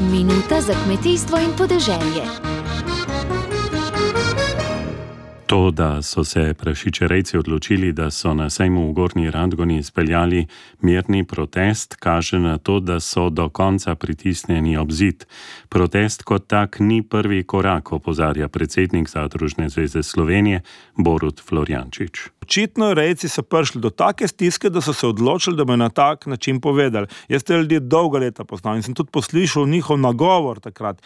Minuta za kmetijstvo in podeželje. To, da so se prašičerejci odločili, da so na sejmu v Gornji Radgoni izpeljali mirni protest, kaže na to, da so do konca pritisnjeni ob zid. Protest kot tak ni prvi korak, opozarja predsednik Zadružne zveze Slovenije Borut Florjančič. Očitno rejci so prišli do take stiske, da so se odločili, da bodo na tak način povedali. Jaz te ljudi dolga leta poznam in sem tudi poslišal njihov nagovor takrat.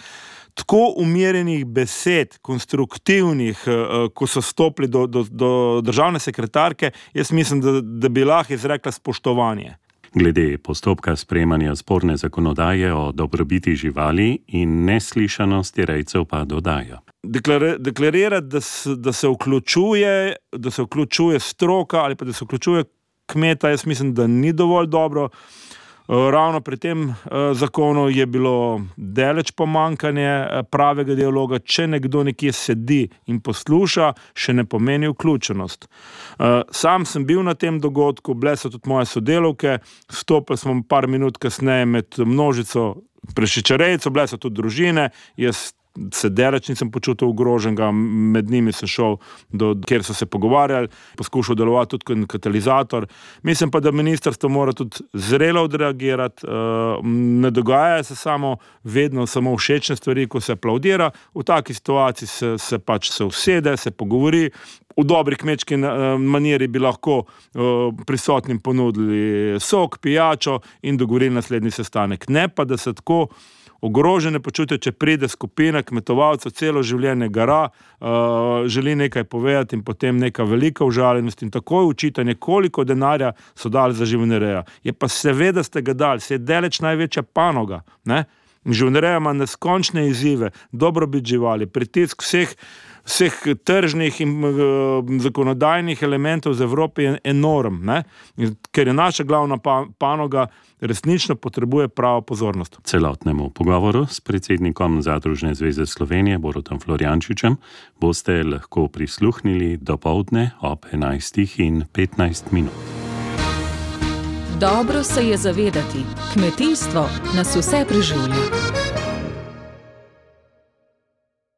Tako umirjenih besed, konstruktivnih, ko so stopili do državne sekretarke, jaz mislim, da bi lahko izrekla spoštovanje. Glede postopka sprejemanja sporne zakonodaje o dobrobiti živali in neslišanosti rejcev pa dodaja. Deklarirati, da se vključuje stroka ali pa da se vključuje kmeta, jaz mislim, da ni dovolj dobro. Ravno pri tem zakonu je bilo daleč pomanjkanje pravega dialoga. Če nekdo nekje sedi in posluša, še ne pomeni vključenost. Sam sem bil na tem dogodku, bile so tudi moje sodelavke, stopili smo par minut kasneje med množico prašičerejcev, bile so tudi družine, jaz se daleč nisem počutil ogroženega, med njimi sem šel, kjer so se pogovarjali, poskušal delovati tudi kot katalizator. Mislim pa, da ministrstvo mora tudi zrelo odreagirati, ne dogaja se vedno samo všečne stvari, ko se aplaudira, v taki situaciji se pač se usede, se pogovori. V dobri kmečki maniri bi lahko prisotnim ponudili sok, pijačo in dogovorili naslednji sestanek. Ne pa, da se tako ogrožene počutijo, če pride skupina kmetovalcev, celo življenje gara, želi nekaj povedati in potem neka velika užaljenost in takoj učitanje, koliko denarja so dali za živinorejo. Je pa seveda ste ga dali, se je daleč največja panoga, ne? Živinoreja ima neskončne izzive, dobrobit živali, pritisk vseh tržnih in zakonodajnih elementov z Evrope je enorm, ne? Ker je naša glavna panoga, resnično potrebuje pravo pozornost. Celotnemu pogovoru s predsednikom Zadružne zveze Slovenije Borutom Florjančičem boste lahko prisluhnili dopoldne ob 11:15. Dobro se je zavedati, kmetijstvo nas vse preživlja.